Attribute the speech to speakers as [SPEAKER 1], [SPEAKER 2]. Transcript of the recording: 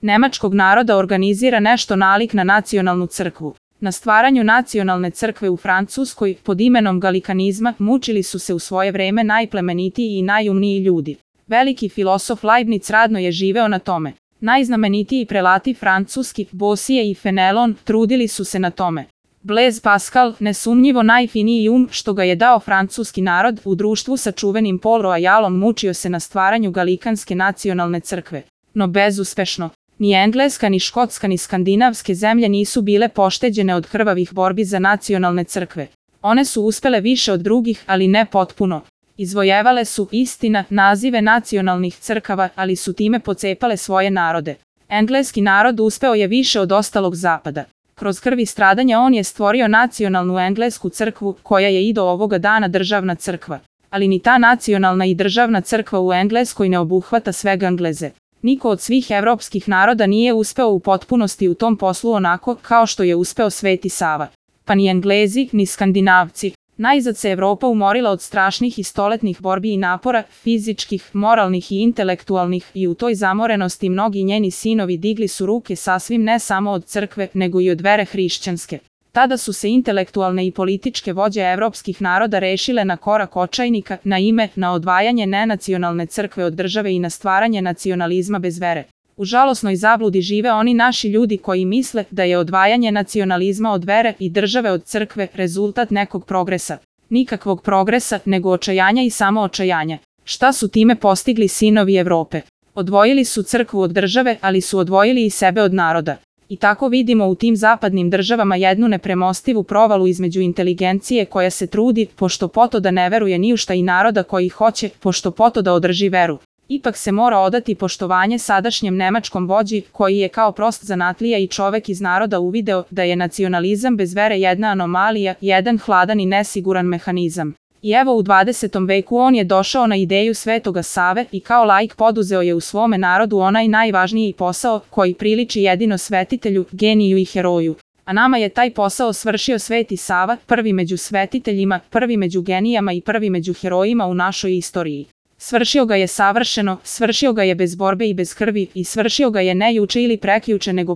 [SPEAKER 1] nemačkog naroda organizira nešto nalik na nacionalnu crkvu. Na stvaranju nacionalne crkve u Francuskoj pod imenom galikanizma mučili su se u svoje vreme najplemenitiji i najumniji ljudi. Veliki filosof Leibniz radno je živeo na tome. Najznamenitiji prelati francuski, Bosije i Fenelon, trudili su se na tome. Blaise Pascal, nesumnjivo najfiniji što ga je dao francuski narod, u društvu sa čuvenim Paul Royalom mučio se na stvaranju galikanske nacionalne crkve. No bezuspešno. Ni Engleska, ni Škotska, ni skandinavske zemlje nisu bile pošteđene od krvavih borbi za nacionalne crkve. One su uspele više od drugih, ali ne potpuno. Izvojevale su, istina, nazive nacionalnih crkava, ali su time pocepale svoje narode. Engleski narod uspeo je više od ostalog zapada. Kroz krv i stradanja on je stvorio nacionalnu englesku crkvu, koja je i do ovoga dana državna crkva. Ali ni ta nacionalna i državna crkva u Engleskoj ne obuhvata sve Engleze. Niko od svih evropskih naroda nije uspeo u potpunosti u tom poslu onako kao što je uspeo Sveti Sava. Pa ni Englezi, ni Skandinavci. Najzad se Evropa umorila od strašnih i stoletnih borbi i napora, fizičkih, moralnih i intelektualnih, i u toj zamorenosti mnogi njeni sinovi digli su ruke sasvim ne samo od crkve, nego i od vere hrišćanske. Tada su se intelektualne i političke vođe evropskih naroda rešile na korak očajnika, na odvajanje nenacionalne crkve od države i na stvaranje nacionalizma bez vere. U žalosnoj zabludi žive oni naši ljudi koji misle da je odvajanje nacionalizma od vere i države od crkve rezultat nekog progresa. Nikakvog progresa, nego očajanja i samo očajanja. Šta su time postigli sinovi Evrope? Odvojili su crkvu od države, ali su odvojili i sebe od naroda. I tako vidimo u tim zapadnim državama jednu nepremostivu provalu između inteligencije koja se trudi, pošto poto da ne veruje ni u šta, i naroda koji hoće, pošto poto da održi veru. Ipak se mora odati poštovanje sadašnjem nemačkom vođi, koji je kao prost zanatlija i čovek iz naroda uvideo da je nacionalizam bez vere jedna anomalija, jedan hladan i nesiguran mehanizam. I evo u 20. veku on je došao na ideju Svetoga Save i kao laik poduzeo je u svome narodu onaj najvažniji posao koji priliči jedino svetitelju, geniju i heroju. A nama je taj posao svršio Sveti Sava, prvi među svetiteljima, prvi među genijama i prvi među herojima u našoj istoriji. Svršio ga je savršeno, svršio ga je bez borbe i bez krvi, i svršio ga je ne juče ili prekjuče nego